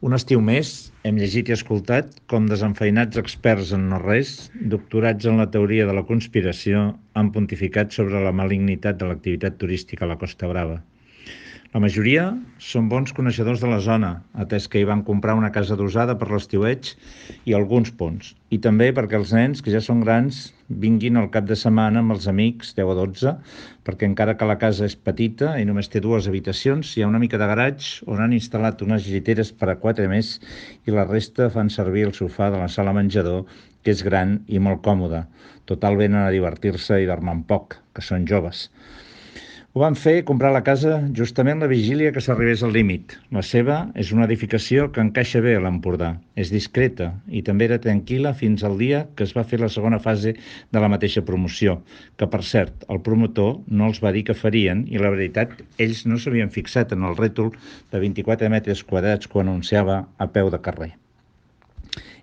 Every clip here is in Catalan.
Un estiu més, hem llegit i escoltat com desenfeinats experts en no res, doctorats en la teoria de la conspiració, han pontificat sobre la malignitat de l'activitat turística a la Costa Brava. La majoria són bons coneixedors de la zona, atès que hi van comprar una casa adosada per l'estiueig i alguns ponts, i també perquè els nens, que ja són grans, vinguin al cap de setmana amb els amics, 10 o 12, perquè encara que la casa és petita i només té 2 habitacions, hi ha una mica de garatge on han instal·lat unes lliteres per a 4 més i la resta fan servir el sofà de la sala menjador, que és gran i molt còmode. Total, venen a divertir-se i dormir poc, que són joves. Ho van fer comprar la casa justament la vigília que s'arribés al límit. La seva és una edificació que encaixa bé a l'Empordà. És discreta i també era tranquil·la fins al dia que es va fer la segona fase de la mateixa promoció, que per cert, el promotor no els va dir que farien i la veritat, ells no s'havien fixat en el rètol de 24 metres quadrats que anunciava a peu de carrer.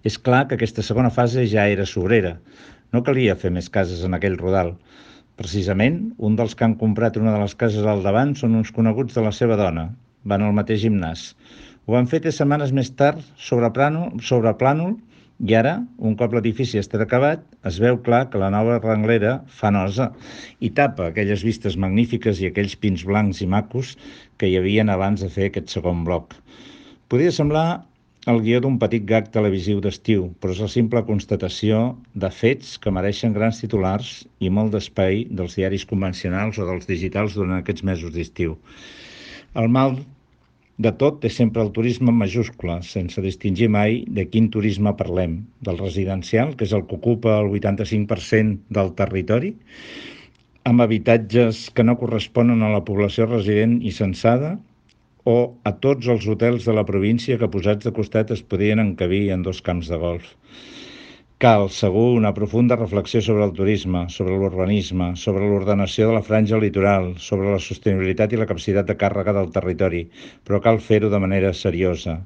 És clar que aquesta segona fase ja era sobrera. No calia fer més cases en aquell rodal. Precisament, un dels que han comprat una de les cases al davant són uns coneguts de la seva dona. Van al mateix gimnàs. Ho van fer 3 setmanes més tard sobre plànol i ara, un cop l'edifici ha estat acabat, es veu clar que la nova renglera fa nosa i tapa aquelles vistes magnífiques i aquells pins blancs i macos que hi havien abans de fer aquest segon bloc. Podria semblar el guió d'un petit gag televisiu d'estiu, però és la simple constatació de fets que mereixen grans titulars i molt d'espai dels diaris convencionals o dels digitals durant aquests mesos d'estiu. El mal de tot és sempre el turisme en majúscula, sense distingir mai de quin turisme parlem, del residencial, que és el que ocupa el 85% del territori, amb habitatges que no corresponen a la població resident i censada, o a tots els hotels de la província que posats de costat es podien encabir en 2 camps de golf. Cal, segur, una profunda reflexió sobre el turisme, sobre l'urbanisme, sobre l'ordenació de la franja litoral, sobre la sostenibilitat i la capacitat de càrrega del territori, però cal fer-ho de manera seriosa.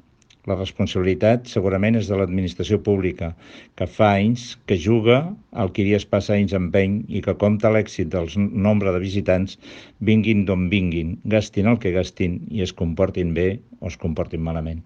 La responsabilitat segurament és de l'administració pública, que fa anys que juga al qui dies passa anys empeny i que compta l'èxit del nombre de visitants vinguin d'on vinguin, gastin el que gastin i es comportin bé o es comportin malament.